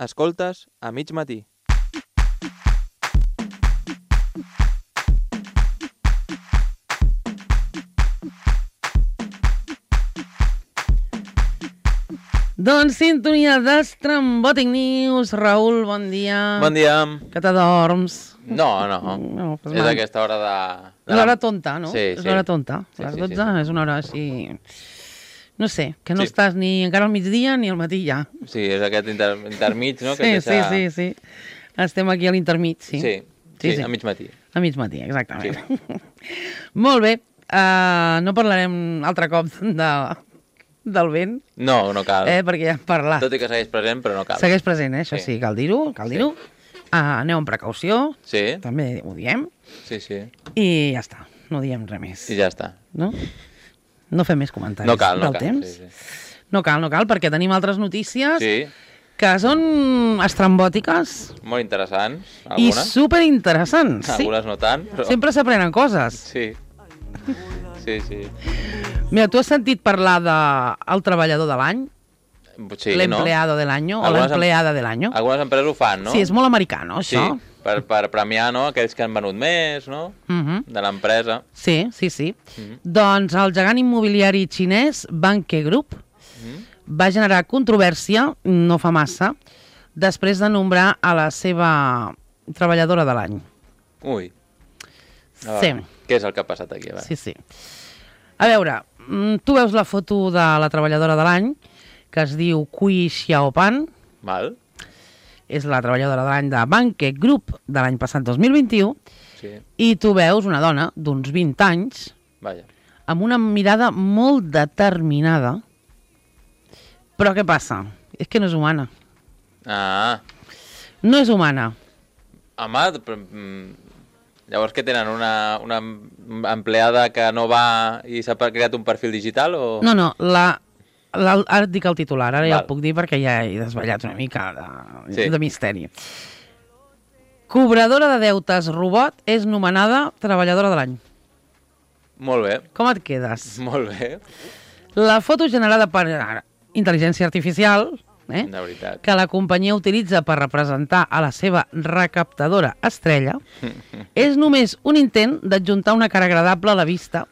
Escoltes a mig matí. Doncs sintonia d'Estrambòtic News. Raül, bon dia. Bon dia. Que t'adorms? No. Pues És mal. aquesta hora de... És l'hora tonta, no? Sí, És l'hora tonta. Sí, Les sí, 12 sí. és una hora així... No sé, que no Sí. estàs ni encara al migdia ni al matí ja. Sí, és aquest intermig, no? Sí. Estem aquí a l'intermig, sí. Sí, a mig matí. A mig matí, exactament. Sí. Molt bé. No parlarem altre cop del vent, No cal. perquè ja hem parlat. Tot i que segueix present, però no cal. Segueix present, això Sí. sí, cal dir-ho. Aneu amb precaució, Sí, també ho diem, sí. i ja està, no diem res més. I ja està. No? No fem més comentaris No cal. del temps. Sí. No cal, perquè tenim altres notícies Sí, que són estrambòtiques molt interessants. i Algunes. superinteressants. Sí. Algunes no tant, però... Sempre s'aprenen coses. Sí. Mira, tu has sentit parlar del treballador de l'any? Sí, L'empleado de l'any o Algunes l'empleada de l'any? Algunes empreses ho fan, no? Sí, és molt americà, no, Sí, això? per premiar, no?, aquells que han venut més, no?, de l'empresa. Sí. Doncs el gegant immobiliari xinès Vanke Group va generar controvèrsia, no fa massa, després de nombrar a la seva treballadora de l'any. Ui. Sí. Què és el que ha passat aquí? A veure. Sí. A veure, tu veus la foto de la treballadora de l'any, que es diu Cui Xiaopan, Val? és la treballadora de l'any de Vanke Group de l'any passat 2021, Sí. i tu veus una dona d'uns 20 anys Vaja. amb una mirada molt determinada. Però què passa? És que no és humana. Ah. No és humana. Home, llavors que tenen una empleada que no va i s'ha creat un perfil digital o... No, ara et dic el titular, ara ja Val. el puc dir perquè ja he desvetllat una mica Sí. de misteri. Cobradora de deutes robot és nomenada treballadora de l'any. Molt bé, Com et quedes? molt bé, La foto generada per intel·ligència artificial, de veritat. que la companyia utilitza per representar a la seva recaptadora estrella, és només un intent d'adjuntar una cara agradable a la vista,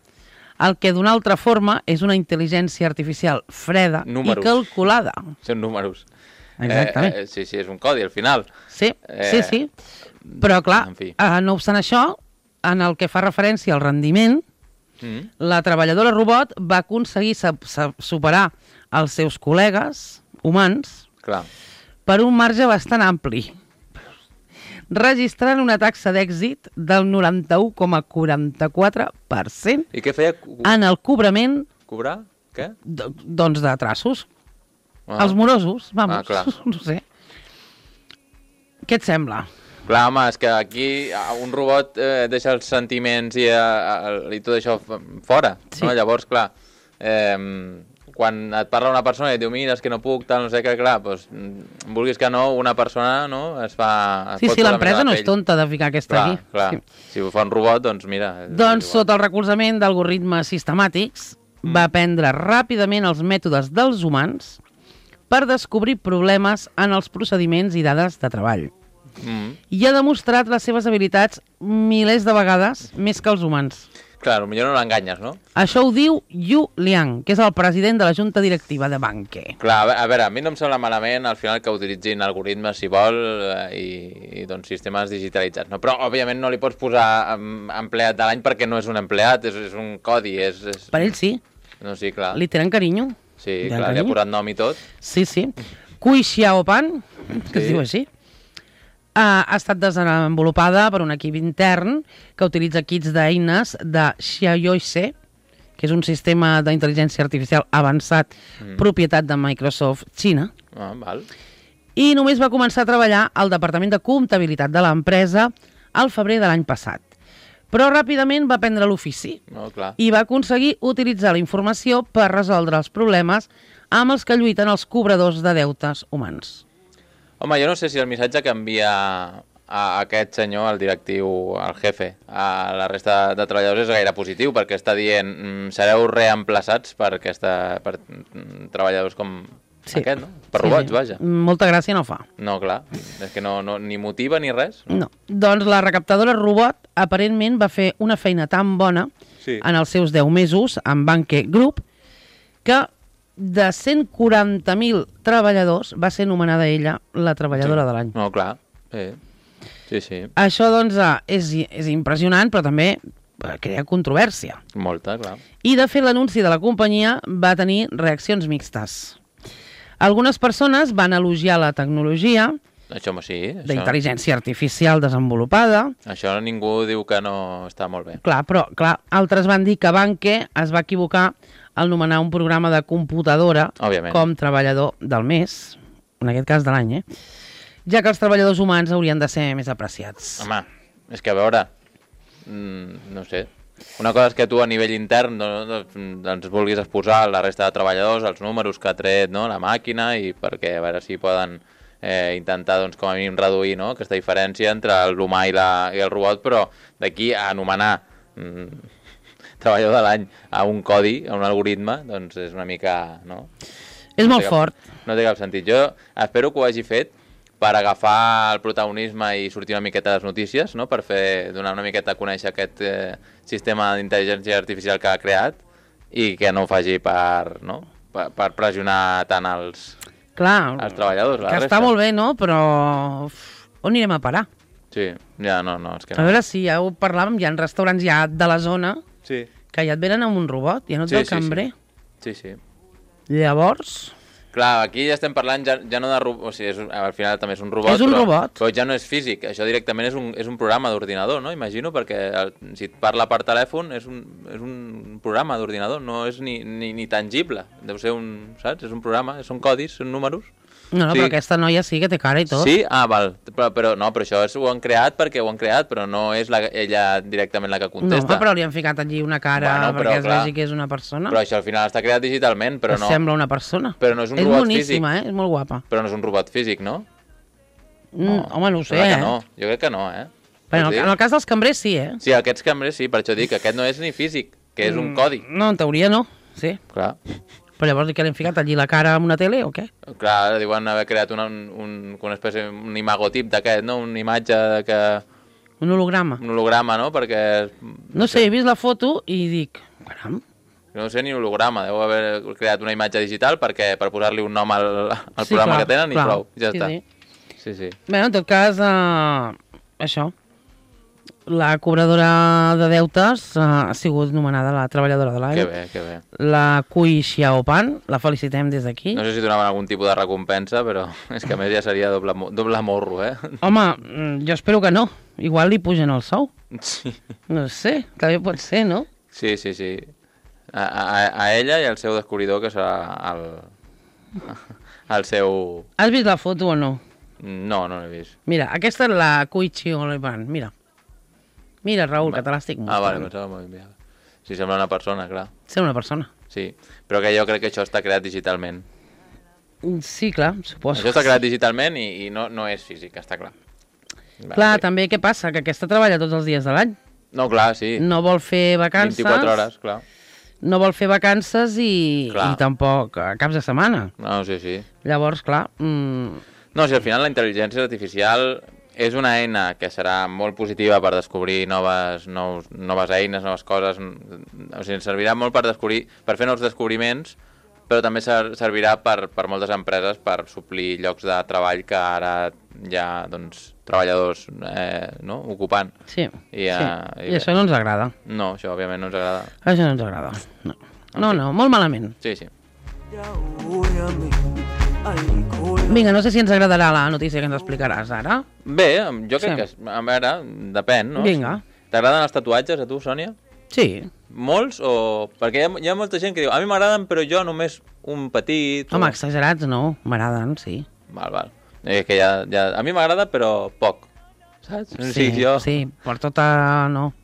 el que d'una altra forma és una intel·ligència artificial freda Números. i calculada. Són números. Exactament. Sí, és un codi al final. Sí. Però, clar, En fi. no obstant això, en el que fa referència al rendiment, la treballadora robot va aconseguir superar els seus col·legues humans Clar. per un marge bastant ampli, registrant una taxa d'èxit del 91,44% I què feia? en el cobrament Cobrar? Què? doncs de traços. Ah. Els morosos, vamos, clar. no sé. Què et sembla? Clar, home, és que aquí un robot deixa els sentiments i tot això fora, Sí. no? Llavors, clar, quan et parla una persona i et diu mira, és que no puc, tal, no sé què, clar, doncs, vulguis que no, una persona, no, es fa... es Sí, pot sí, posar l'empresa més a la no és pell. tonta de ficar aquesta Clar, aquí. clar. Sí. Si ho fa un robot, doncs mira... Doncs sota el recolzament d'algoritmes sistemàtics va aprendre ràpidament els mètodes dels humans per descobrir problemes en els procediments i dades de treball. I ha demostrat les seves habilitats milers de vegades més que els humans. Clar, potser no l'enganyes, no? Això ho diu Yu Liang, que és el president de la junta directiva de Vanke. Clar, a veure, a mi no em sembla malament al final que utilitzin algoritmes, si vol, i doncs, sistemes digitalitzats, no? Però, òbviament, no li pots posar empleat de l'any perquè no és un empleat, és un codi, és... Per ell sí, No, sí, clar. li tenen carinyo. Sí, Li tenen clar, li ha carinyo. posat nom i tot. Sí. Cui Xiaopan, que es Sí. diu així, ha estat desenvolupada per un equip intern que utilitza kits d'eines de Xiaoyoise, que és un sistema d'intel·ligència artificial avançat, propietat de Microsoft Xina, Ah, val. i només va començar a treballar al departament de comptabilitat de l'empresa al febrer de l'any passat. Però ràpidament va prendre l'ofici No, clar. i va aconseguir utilitzar la informació per resoldre els problemes amb els que lluiten els cobradors de deutes humans. Home, jo no sé si el missatge que envia a aquest senyor, el directiu, el jefe, a la resta de treballadors és gaire positiu, perquè està dient sereu reemplaçats per treballadors com Sí. Aquest, no? Per robots, vaja. Molta gràcia no fa. No, clar, és que no, ni motiva ni res. No. Doncs la recaptadora robot aparentment va fer una feina tan bona en els seus 10 mesos amb Banque Group que de 140.000 treballadors va ser nomenada ella la treballadora de l'any. No, clar, sí. Això, doncs, és impressionant, però també crea controvèrsia. Molta, clar. I, de fet, l'anunci de la companyia va tenir reaccions mixtes. Algunes persones van elogiar la tecnologia d'intel·ligència artificial desenvolupada. Això ningú diu que no està molt bé. Clar, però altres van dir que Banque es va equivocar al nomenar un programa de computadora com treballador del mes, en aquest cas de l'any, ja que els treballadors humans haurien de ser més apreciats. Home, és que a veure, no sé, una cosa és que tu a nivell intern doncs vulguis exposar la resta de treballadors, els números que ha tret la màquina, i perquè a veure si poden intentar doncs, com a mínim reduir aquesta diferència entre l'humà i el robot, però d'aquí a anomenar treballador de l'any a un codi, a un algoritme, doncs és una mica... És molt fort. No té cap sentit. Jo espero que ho hagi fet per agafar el protagonisme i sortir una miqueta de les notícies, per donar una miqueta a conèixer aquest sistema d'intel·ligència artificial que ha creat, i que no ho faci per pressionar tant els treballadors. Que està molt bé, però on anirem a parar? Sí, ja no, és que no. A veure, si ja ho parlàvem, hi ha restaurants ja de la zona que ja et venen amb un robot, ja no ets el cambrer. Sí. Llavors... Clar, aquí ja estem parlant ja no de robot, o sigui, al final també és un robot, és un robot. Però ja no és físic, això directament és un programa d'ordinador, no? Imagino, perquè si et parla per telèfon és un programa d'ordinador, no és ni tangible, deu ser saps? És un programa, són codis, són números. No, però aquesta noia sí que té cara i tot. Sí? Ah, val. Però això ho han creat perquè ho han creat, però no és ella directament la que contesta. No, però li han ficat allí una cara perquè es vegi que és una persona. Però això al final està creat digitalment, però no... Sembla una persona. Però no és un robot físic. És boníssima, és molt guapa. Però no és un robot físic, no? Home, no ho sé, Jo crec que no, Bueno, en el cas dels cambrers sí, Sí, aquests cambrers sí, per això dic que aquest no és ni físic, que és un codi. No, en teoria no, sí. Clar. Però llavors que li han ficat allí la cara amb una tele o què? Clar, diuen haver creat una espècie, un imagotip d'aquest, no? Una imatge que... Un holograma. Un holograma, no? Perquè... No sé, he vist la foto i dic... Caram. No sé ni holograma, deu haver creat una imatge digital per posar-li un nom al programa que tenen i prou, ja està. Sí. Bé, en tot cas, això... La cobradora de deutes ha sigut nomenada la treballadora de l'any. Que bé. La Cui Xiaopan, la felicitem des d'aquí. No sé si donaven algun tipus de recompensa, però és que a més ja seria doble morro, Home, jo espero que no. Igual li pugen el sou. Sí. No sé, també pot ser, no? Sí. A ella i al seu descobridor, que serà el seu... Has vist la foto o no? No l'he vist. Mira, aquesta és la Cui Xiaopan, mira. Mira, Raül, que te l'estic mostrant. Vale, pensava molt bé. Sí, sembla una persona, clar. Sembla una persona. Sí, però que jo crec que això està creat digitalment. Sí, clar, suposo. Això està creat digitalment i no és físic, està clar. Clar, també què passa? Que aquesta treballa tots els dies de l'any. No, clar, sí. No vol fer vacances. 24 hores, clar. No vol fer vacances i tampoc caps de setmana. No, sí. Llavors, clar... No, si al final la intel·ligència artificial... És una eina que serà molt positiva per descobrir noves eines, noves coses. O sigui, servirà molt per fer nous descobriments, però també servirà per moltes empreses per suplir llocs de treball que ara hi ha treballadors ocupant. Sí, i això no ens agrada. No, això òbviament no ens agrada. Això no ens agrada, no, molt malament. Sí. Vinga, no sé si ens agradarà la notícia que ens explicaràs ara. Bé, jo crec que... A veure, depèn, no? Vinga. T'agraden els tatuatges, a tu, Sònia? Sí. Molts o...? Perquè hi ha molta gent que diu a mi m'agraden, però jo només un petit... Home, exagerats no, m'agraden, sí. Val. Que a mi m'agrada, però poc, saps? Sí, per tota... no.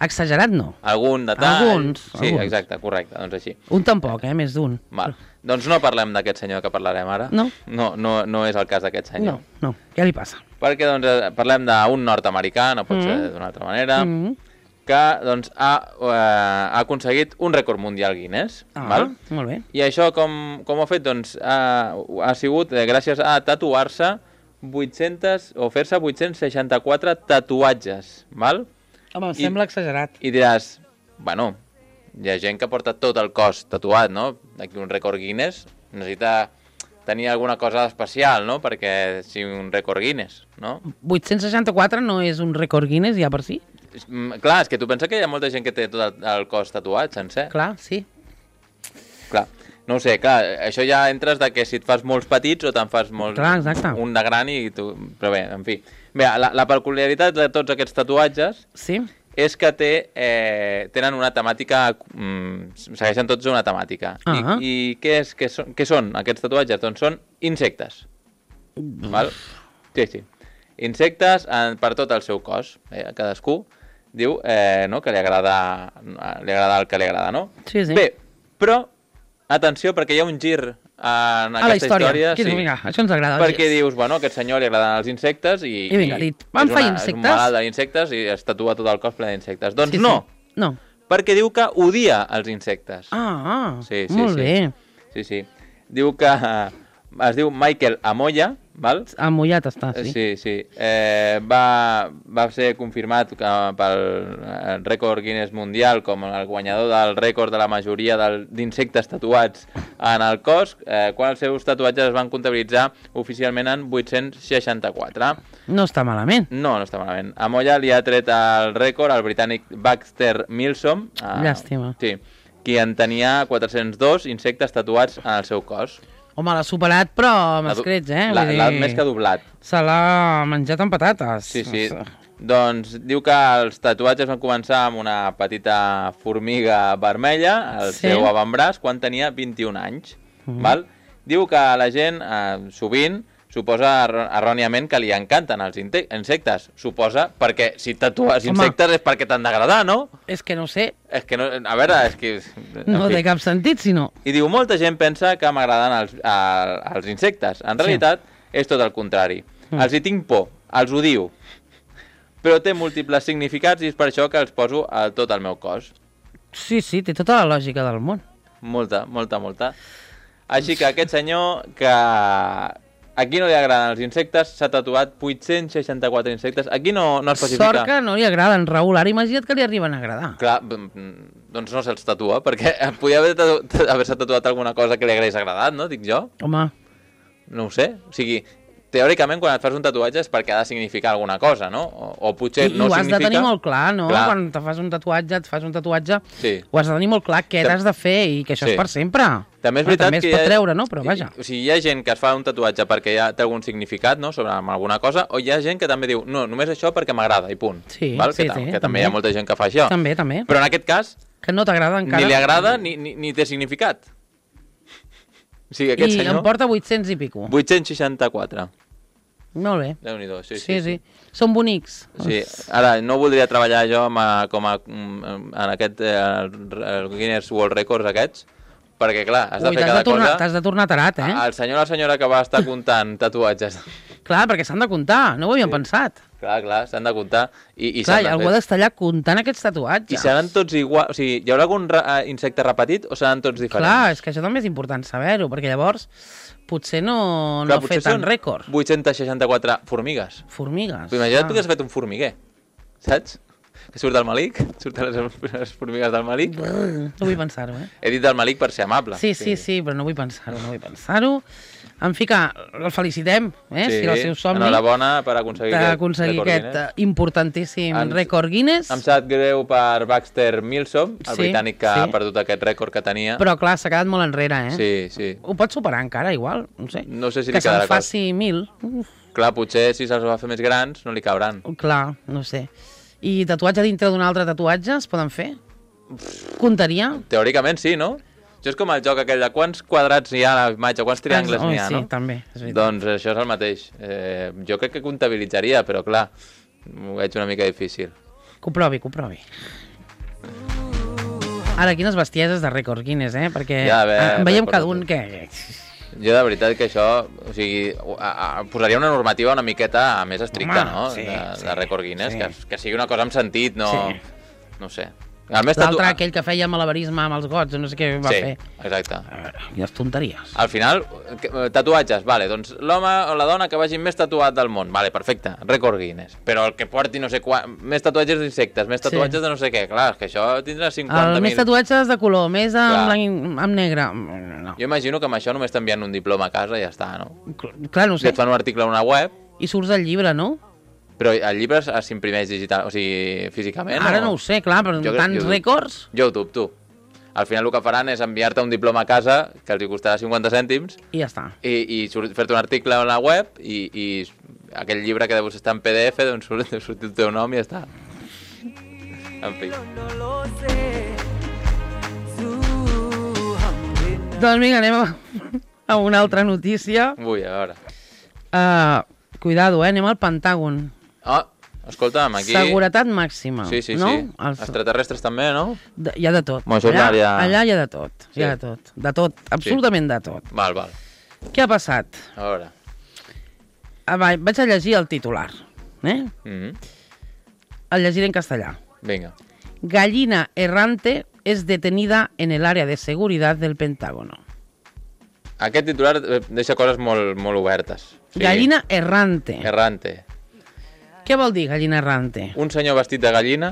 Exagerat no. Algun detall. Alguns. Sí, exacte, correcte, doncs així. Un tampoc, més d'un. Val. Doncs no parlem d'aquest senyor que parlarem ara. No. No és el cas d'aquest senyor. No, què li passa? Perquè doncs parlem d'un nord-americà, no pot ser d'una altra manera, que doncs, ha aconseguit un rècord mundial Guinness. Val? Molt bé. I això com ho ha fet? Doncs ha sigut gràcies a tatuar-se 800 o fer-se 864 tatuatges. Val? Home, em sembla exagerat. I diràs, bueno, hi ha gent que porta tot el cos tatuat, no? Aquí un rècord Guinness necessita tenir alguna cosa especial, no? Perquè sigui un rècord Guinness, no? 864 no és un rècord Guinness ja per si? Clar, és que tu penses que hi ha molta gent que té tot el cos tatuat sencer. Clar, sí. Clar, no ho sé, clar, això ja entres de que si et fas molts petits o te'n fas molts... Clar, exacte. Un de gran i tu... Però bé, en fi. Bé, la peculiaritat de tots aquests tatuatges Sí? és que tenen una temàtica... segueixen tots una temàtica. I què són aquests tatuatges? Doncs són insectes. Val? Sí. Insectes per tot el seu cos. Cadascú diu no, que li agrada el que li agrada, no? Sí. Bé, però, atenció, perquè hi ha un gir en aquesta història. Sí. Vinga, això ens agrada. Perquè dius, bueno, a aquest senyor li agraden els insectes i vinga, van fer insectes. És un malalt d'insectes i es tatua tot el cos ple d'insectes. Doncs sí. No. Perquè diu que odia els insectes. Sí, molt bé. Sí. Diu que es diu Michael Amoya, val? Amollat està, sí. Sí. Va ser confirmat pel rècord Guinness Mundial com el guanyador del rècord de la majoria d'insectes tatuats en el cos, quan els seus tatuatges es van comptabilitzar oficialment en 864. No està malament. No està malament. Amoya li ha tret el rècord al britànic Baxter Milsom. Llàstima. Sí, qui en tenia 402 insectes tatuats en el seu cos. Home, l'ha superat, però amb escrets, L'ha més que doblat. Se l'ha menjat amb patates. Sí. Doncs diu que els tatuatges van començar amb una petita formiga vermella al seu avantbraç quan tenia 21 anys. Val? Diu que la gent sovint suposa erròniament que li encanten els insectes. Suposa perquè si tatues insectes és perquè t'han d'agradar, no? És que no sé. És que no, a veure, és que... No té cap sentit, si no. I diu, molta gent pensa que m'agraden els insectes. En realitat, és tot el contrari. Els hi tinc por, els odio. Però té múltiples significats i és per això que els poso a tot el meu cos. Sí, té tota la lògica del món. Molta. Així que aquest senyor que... A qui no li agraden els insectes s'ha tatuat 864 insectes. Aquí no especifica... Sort que no li agraden, Raül. Ara imagina't que li arriben a agradar. Clar, doncs no se'ls tatua, perquè podia haver-se tatuat alguna cosa que li hagués agradat, no? Dic jo. Home. No ho sé. O sigui, teòricament, quan et fas un tatuatge és perquè ha de significar alguna cosa, no? O potser no significa... I ho has de tenir molt clar, no? Clar. Quan et fas un tatuatge, sí. Ho has de tenir molt clar què t'has de fer i que això és per sempre. També és veritat també es pot treure, no? Però vaja. O sigui, hi ha gent que es fa un tatuatge perquè ja té algun significat, no?, sobre alguna cosa, o hi ha gent que també diu, no, només això perquè m'agrada, i punt. Sí, val? Que també hi ha molta gent que fa això. També. Però en aquest cas... Que no t'agrada encara. Ni li agrada ni té significat. O sigui, aquest senyor... I em porta 800 i pico. 864. Molt bé. Déu-n'hi-do, sí. Són bonics. Sí, ara no voldria treballar jo en aquest el Guinness World Records aquests, perquè clar, has de fer cada cosa... T'has de tornar tarat, El senyor o la senyora que va estar comptant tatuatges. Clar, perquè s'han de comptar, no ho havíem pensat. Clar, s'han de comptar. Clar, algú ha d'estar allà comptant aquests tatuatges. I seran tots iguals, o sigui, hi haurà algun insecte repetit o seran tots diferents? Clar, és que això també és important saber-ho, perquè llavors... Potser no fer tant rècord. 864 formigues. Formigues. Imagina't tu que has fet un formiguer, saps? Que surt del malic, surten les formigues del malic. No vull pensar-ho, He dit del malic per ser amable. Sí, però no vull pensar-ho, En fi, que el felicitem, si era el seu somni. Enhorabona per aconseguir aquest importantíssim rècord Guinness. Em sap greu per Baxter Milsom, el britànic que ha perdut aquest rècord que tenia. Però clar, s'ha quedat molt enrere, Sí. Ho pot superar encara, igual, no sé. No sé si que li quedarà se'n faci 1000. Clar, potser si se'ls va fer més grans no li cabran. Clar, no sé. I tatuatge dintre d'un altre tatuatge es poden fer? Comptaria? Teòricament sí, no? Això és com el joc aquell de quants quadrats hi ha a la imatge, quants triangles n'hi ha, no? Sí, també. Doncs això és el mateix. Jo crec que comptabilitzaria, però clar, m'ho veig una mica difícil. Que ho provi. Ara, quines bestieses de rècord Guinness, perquè veiem cada un que... Jo de veritat que això, o sigui, posaria una normativa una miqueta més estricta, no? De rècord Guinness, que sigui una cosa amb sentit, no... No sé. L'altre, aquell que feia malabarisme amb els gots, no sé què va fer. Sí, exacte. A veure, quines tonteries. Al final, tatuatges, vale, doncs l'home o la dona que vagi més tatuat del món, vale, perfecte, rècord Guinness. Però el que porti no sé quan, més tatuatges d'insectes, més tatuatges de no sé què, clar, és que això tindrà 50.000... Més tatuatges de color, més amb negre... No. Jo imagino que amb això només t'envien un diploma a casa i ja està, no? Clar, no sé. I et fan un article a una web... I surts al llibre, no? Però el llibre s'imprimeix digital, o sigui, físicament? Ara no ho sé, clar, però tants rècords... Jo ho dubto. Al final el que faran és enviar-te un diploma a casa, que els costarà 50 cèntims... I ja està. I fer-te un article a la web i aquell llibre que deu estar en PDF, doncs surt el teu nom i ja està. En fi. Doncs vinga, anem a una altra notícia. Ui, a veure. Cuidado, anem al Pentàgon. Escolta'm, aquí... Seguretat màxima. Sí, no? sí. Extraterrestres també, no? Hi ha de tot. Allà hi ha de tot. Hi ha de tot. De tot. Absolutament de tot. Val. Què ha passat? A veure. Vaig a llegir el titular. El llegiré en castellà. Venga. Gallina errante es detenida en el área de seguridad del Pentágono. Aquest titular deixa coses molt, molt obertes. Sí. Gallina errante. Errante. Què vol dir gallina errante? Un senyor vestit de gallina.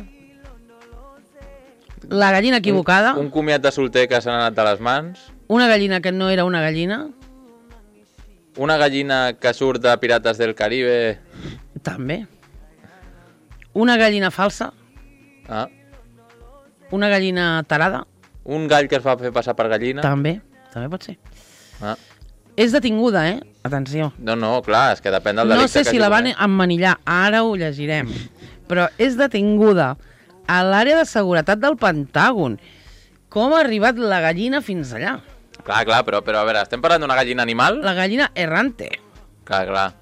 La gallina equivocada. Un comiat de solter que s'ha anat de les mans. Una gallina que no era una gallina. Una gallina que surt de Pirates del Caribe. També. Una gallina falsa. Una gallina tarada. Un gall que es va fer passar per gallina. També pot ser. És detinguda, Atenció. No, clar, és que depèn del delicte. No sé si la van emmanillar, ara ho llegirem. Però és detinguda a l'àrea de seguretat del Pentàgon. Com ha arribat la gallina fins allà? Clar, però a veure, estem parlant d'una gallina animal? La gallina errante. Clar.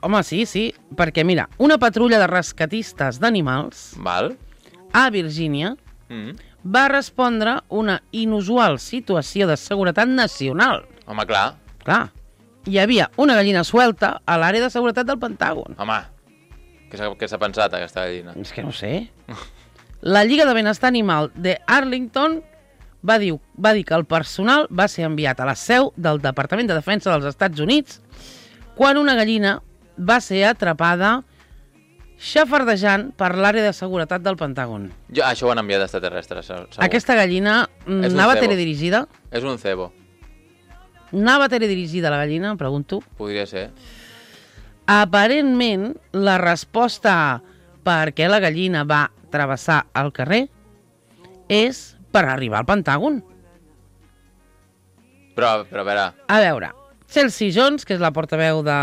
Home, sí, perquè mira, una patrulla de rescatistes d'animals a Virgínia va respondre una inusual situació de seguretat nacional. Home, clar. Hi havia una gallina suelta a l'àrea de seguretat del Pentàgon. Home, què s'ha pensat aquesta gallina? És que no sé. La Lliga de Benestar Animal de Arlington va dir que el personal va ser enviat a la seu del Departament de Defensa dels Estats Units quan una gallina va ser atrapada xafardejant per l'àrea de seguretat del Pentàgon. Això ho han enviat extraterrestres, segur. Aquesta gallina anava teledirigida? És un cebo. Anava teledirigida la gallina, em pregunto? Podria ser. Aparentment, la resposta a per què la gallina va travessar el carrer és per arribar al Pentàgon. Però a veure... A veure, Chelsea Jones, que és la portaveu de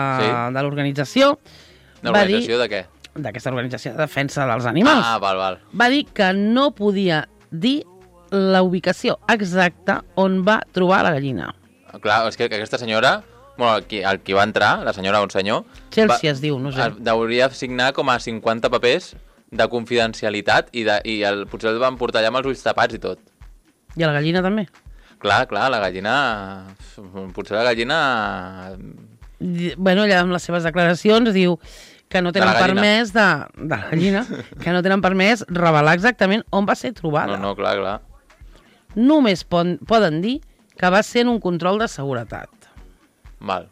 l'organització... L'organització de què? D'aquesta organització de defensa dels animals. Val. Va dir que no podia dir la ubicació exacta on va trobar la gallina. Clar, és que aquesta senyora, bueno, el qui va entrar, la senyora o un senyor... Chelsea es diu, no sé. Hauria signar com a 50 papers de confidencialitat i potser el van portar allà amb els ulls tapats i tot. I a la gallina també? Clar, la gallina... Potser la gallina... Bueno, ella amb les seves declaracions diu que no tenen permès de la gallina, que no tenen permès revelar exactament on va ser trobada. No, clar. Només poden dir que va ser en un control de seguretat. Val.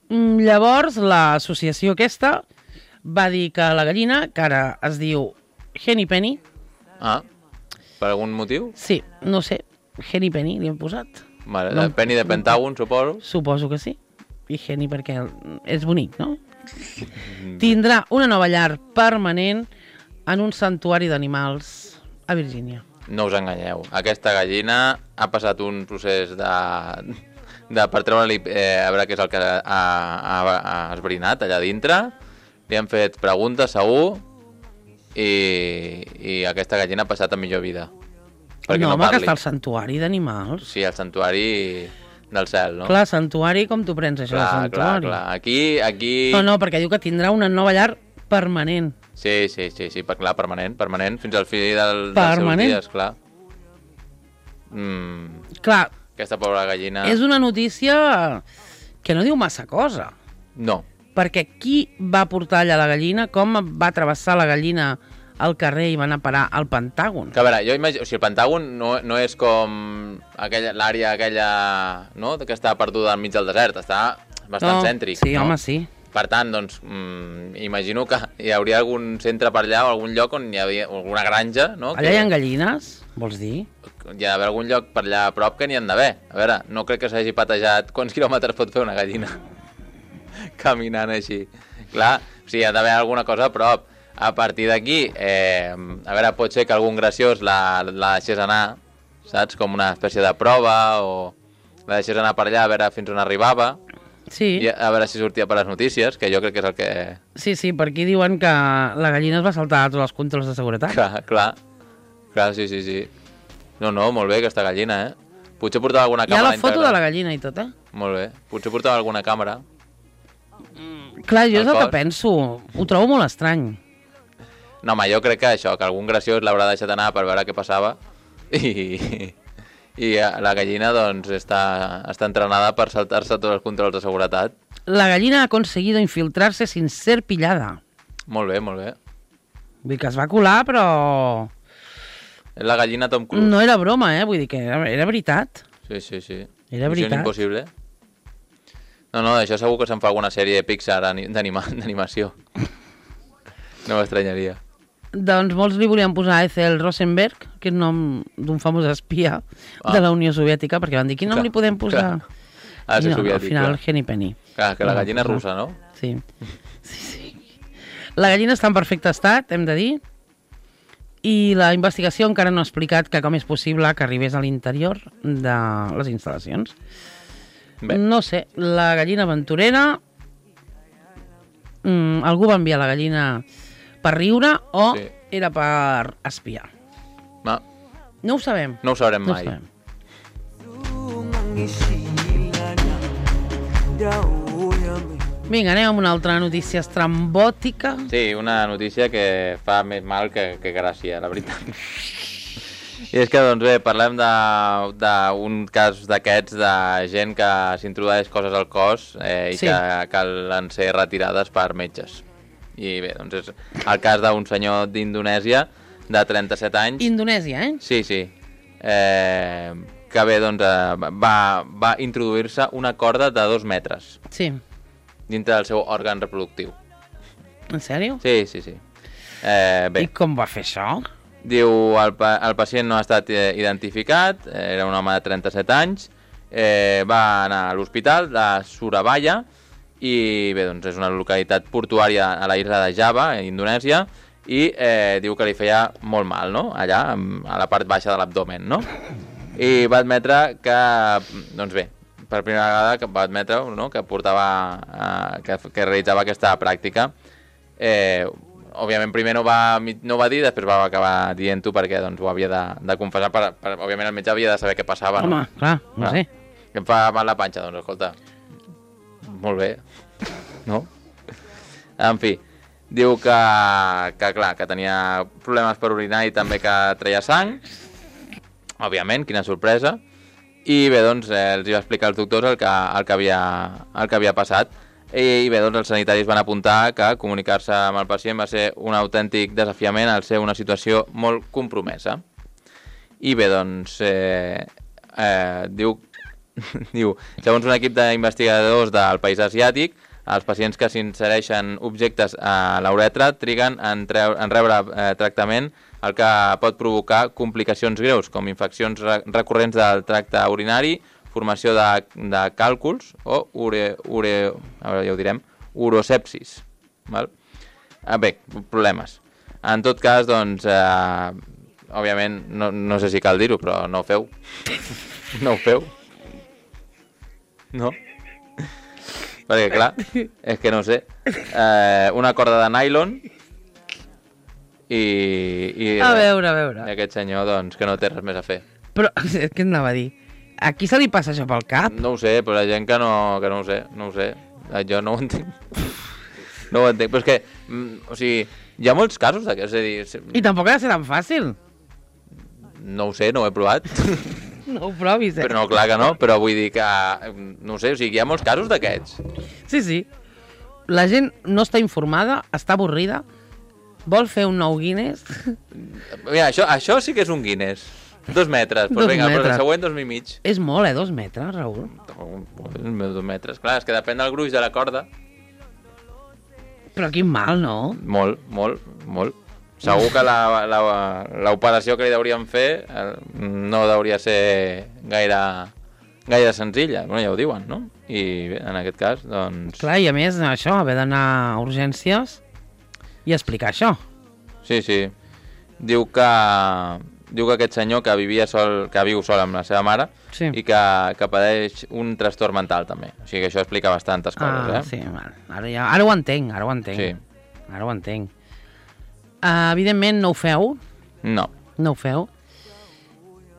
Llavors, l'associació aquesta va dir que la gallina, que ara es diu Henny Penny... Per algun motiu? Sí, no sé, Henny Penny li hem posat. Vale, no, Penny de Pentàgon, suposo. Suposo que sí. I Henny perquè és bonic, no? Tindrà una nova llar permanent en un santuari d'animals a Virgínia. No us enganyeu. Aquesta gallina ha passat un procés per treure-li a veure què és el que ha esbrinat allà dintre. Li han fet preguntes, segur, i aquesta gallina ha passat a millor vida. No, home, que està al santuari d'animals. Sí, al santuari del cel, no? Clar, santuari, com t'ho prens, això, del santuari? Clar. Aquí... No, perquè diu que tindrà una nova llar permanent. Sí, clar, permanent, fins al fi dels seus dies, clar. Clar. Aquesta pobra gallina... És una notícia que no diu massa cosa. No. Perquè qui va portar allà la gallina, com va travessar la gallina al carrer i van a parar al Pentàgon. Que a veure, jo imagino... O sigui, el Pentàgon no és com l'àrea aquella, no?, que està perduda al mig del desert. Està bastant cèntric, sí, no? Home, sí. Per tant, doncs, imagino que hi hauria algun centre per allà o algun lloc on hi havia alguna granja, no? Allà hi ha gallines, vols dir? Hi ha d'haver algun lloc per allà a prop que n'hi han d'haver. A veure, no crec que s'hagi patejat quants quilòmetres pot fer una gallina caminant així. Clar, o sigui, hi ha d'haver alguna cosa a prop. A partir d'aquí, a veure, pot ser que algun graciós la deixés anar, saps? Com una espècie de prova, o la deixés anar per allà a veure fins on arribava. Sí. I a veure si sortia per les notícies, que jo crec que és el que... Sí, per aquí diuen que la gallina es va saltar tots els controls de seguretat. Clar, sí. No, molt bé aquesta gallina, Potser portava alguna càmera integrada. Hi ha la foto de la gallina i tot, Molt bé. Potser portava alguna càmera. Clar, jo és el que penso. Ho trobo molt estrany. No, home, jo crec que això, que algun graciós l'haurà deixat anar per veure què passava i la gallina, doncs, està entrenada per saltar-se tots els controls de seguretat. La gallina ha conseguido infiltrarse sin ser pillada. Molt bé. Vull dir que es va colar, però... És la gallina Tom Cruise. No era broma, vull dir que era veritat. Sí. Era veritat. Missió impossible. No, d'això segur que se'n fa alguna sèrie de Pixar d'animació. No m'estranyaria. Doncs molts li volien posar Ethel Rosenberg, que és nom d'un famós espia de la Unió Soviètica, perquè van dir, quin nom li podem posar? Ha de ser soviètic. Al final, Henny Penny. Clar, que la gallina és russa, no? Sí. La gallina està en perfecte estat, hem de dir, i la investigació encara no ha explicat que com és possible que arribés a l'interior de les instal·lacions. Bé. No sé, la gallina aventurera... algú va enviar la gallina per riure o era per espiar? No ho sabem. No ho sabrem mai. Vinga, anem amb una altra notícia estrambòtica. Sí, una notícia que fa més mal que gràcia, la veritat. I és que, doncs bé, parlem d'un cas d'aquests de gent que s'introdueix coses al cos i que calen ser retirades per metges. I bé, doncs és el cas d'un senyor d'Indonèsia de 37 anys. Indonèsia, Sí. Que bé, doncs va introduir-se una corda de 2 metres. Sí. Dintre del seu òrgan reproductiu. En sèrio? Sí. Bé. I com va fer això? Diu, el pacient no ha estat identificat, era un home de 37 anys, va anar a l'hospital de Surabaya, i bé, doncs és una localitat portuària a la isla de Java, a Indonèsia, i diu que li feia molt mal, no?, allà, a la part baixa de l'abdomen, no? I va admetre que, doncs bé, per primera vegada que va admetre, no?, que portava, que realitzava aquesta pràctica. Òbviament primer no va dir, després va acabar dient-ho perquè doncs, ho havia de confessar, òbviament el metge havia de saber què passava. Home, no? Clar, no sé. Que em fa mal la panxa, doncs escolta, molt bé, no? En fi, diu que clar, que tenia problemes per orinar i també que treia sang, òbviament, quina sorpresa, i bé, doncs els va explicar als doctors el que havia passat. I bé, doncs els sanitaris van apuntar que comunicar-se amb el pacient va ser un autèntic desafiament al ser una situació molt compromesa. I bé, doncs, diu, segons un equip d'investigadors del país asiàtic, els pacients que s'insereixen objectes a l'uretra triguen en rebre tractament, el que pot provocar complicacions greus, com infeccions recurrents del tracte urinari, formació de càlculs o urosepsis. Val? Bé, problemes. En tot cas, doncs, òbviament, no sé si cal dir-ho, però no ho feu. No ho feu. No? Perquè, clar, és que no sé. Una corda de nylon i... A veure. I aquest senyor, doncs, que no té res més a fer. Però, què anava a dir? A qui se li passa això pel cap? No ho sé, però la gent que no ho sé. Jo no ho entenc. No ho entenc, però és que, o sigui, hi ha molts casos d'aquests, és a dir... I tampoc ha de ser tan fàcil. No ho sé, no ho he provat. No ho provis, Però no, clar que no, però vull dir que, no ho sé, o sigui, hi ha molts casos d'aquests. Sí. La gent no està informada, està avorrida, Vol fer un nou Guinness? Mira, això sí que és un Guinness. 2 metres. Pues 2 vinga, però el metres. següent 2 i mig. És molt, 2 metres, Raül. 2 metres. Clar, és que depèn del gruix de la corda. Però quin mal, no? Molt, molt, molt. Segur que l'operació que li deuríem fer no hauria ser gaire senzilla. Bueno, ja ho diuen, no? I bé, en aquest cas, doncs... Clar, i a més, això, haver d'anar a urgències i explicar això. Sí, sí. Diu que aquest senyor que viu sol amb la seva mare Sí. i que pateix un trastorn mental també. O sigui que això explica bastantes coses, Sí, val. Ara ho entenc, Sí. Ara ho entenc. Evidentment no ho feu, No.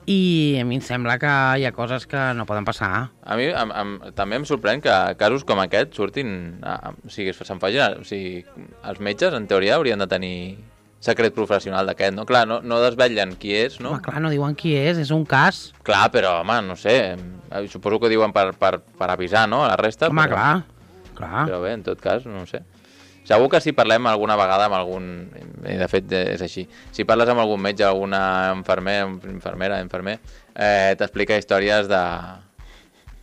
i a mi em sembla que hi ha coses que no poden passar. A mi també em sorprèn que casos com aquest surtin... O sigui, se'n facin... O sigui, els metges, en teoria, haurien de tenir secret professional d'aquest, no? Clar, no desvetllen qui és, no? Home, clar, no diuen qui és un cas. Clar, però, home, no sé, suposo que ho diuen per avisar, no?, a la resta. Home, però... clar. Però bé, en tot cas, no ho sé. Segur que si parlem alguna vegada amb algun... I de fet és així. Si parles amb algun metge, alguna infermer, t'explica històries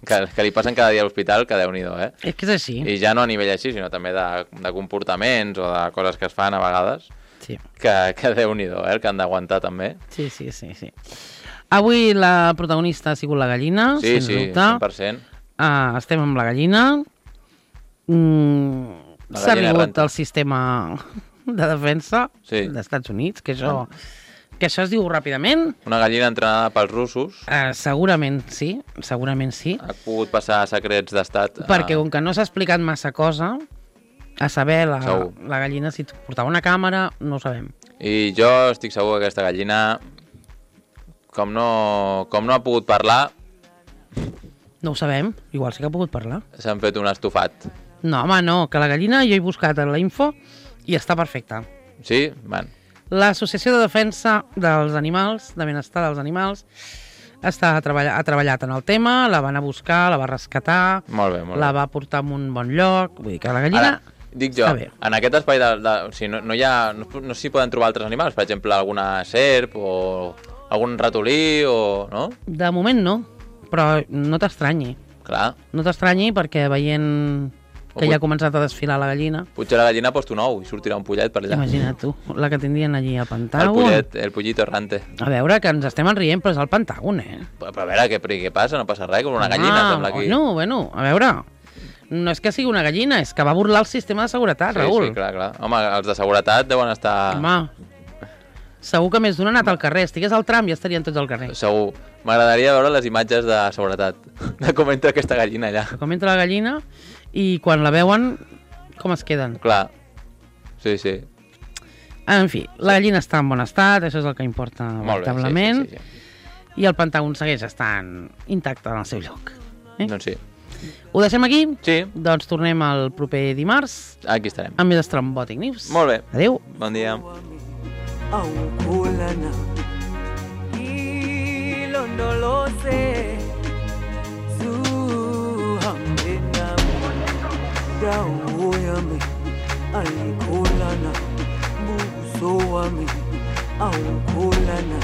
que li passen cada dia a l'hospital, que Déu-n'hi-do, eh? És que és així. I ja no a nivell així, sinó també de comportaments o de coses que es fan a vegades, Sí. que Déu-n'hi-do, el que han d'aguantar també. Sí. Avui la protagonista ha sigut la gallina, Sí, sens sí, dubte. 100%. Estem amb la gallina. S'ha gallina arribat errante. al sistema de defensa Sí. dels Estats Units, que això es diu ràpidament. Una gallina entrenada pels russos Segurament sí. ha pogut passar secrets d'estat. Perquè com que no s'ha explicat massa cosa, a saber, Segur. la gallina, si portava una càmera, no ho sabem. I jo estic segur que aquesta gallina, com no ha pogut parlar, No ho sabem, igual sí que ha pogut parlar. s'han fet un estofat. No, home, no, que la gallina jo he buscat en la info i està perfecta. Sí? Van. L'Associació de Defensa dels Animals, de Benestar dels Animals, ha treballat en el tema, la van a buscar, la va rescatar, Molt bé, molt la bé. va portar a un bon lloc, vull dir que la gallina... Ara, dic jo, està bé. en aquest espai o sigui, no s'hi poden trobar altres animals, per exemple, alguna serp o algun ratolí o... no? De moment no, però no t'estranyi. Clar, No t'estranyi perquè veient que ja ha començat a desfilar la gallina, potser la gallina ha post un ou i sortirà un pollet per allà. imagina't tu, la que tindrien allí al El Pentàgon. el pollito errante. A veure, que ens estem enrient, però és al Pentàgon, Però a veure, què passa? No passa res, com una gallina, sembla aquí. Bueno, a veure, no és que sigui una gallina, és que va burlar el sistema de seguretat, Raül. Sí, clar. Home, els de seguretat deuen estar... Home, segur que més d'un ha anat al carrer. Estigués al tram i estarien tots al carrer. Segur. M'agradaria veure les imatges de seguretat, de com entra aquesta gallina allà. Com entra la gallina i quan la veuen, com es queden. Clar. Sí. En fi, la gallina està en bon estat, això és el que importa Molt bé, veritablement, sí. i el Pentàgon segueix estant intacte en el seu lloc. Doncs sí. Ho deixem aquí? Sí, Doncs tornem el proper dimarts aquí estarem. amb més Strombòtic News. Molt bé. Adéu. Bon dia. Awukhulana ilondoloze zuhambe nami dawo yami ayikhulana buso wami awukhulana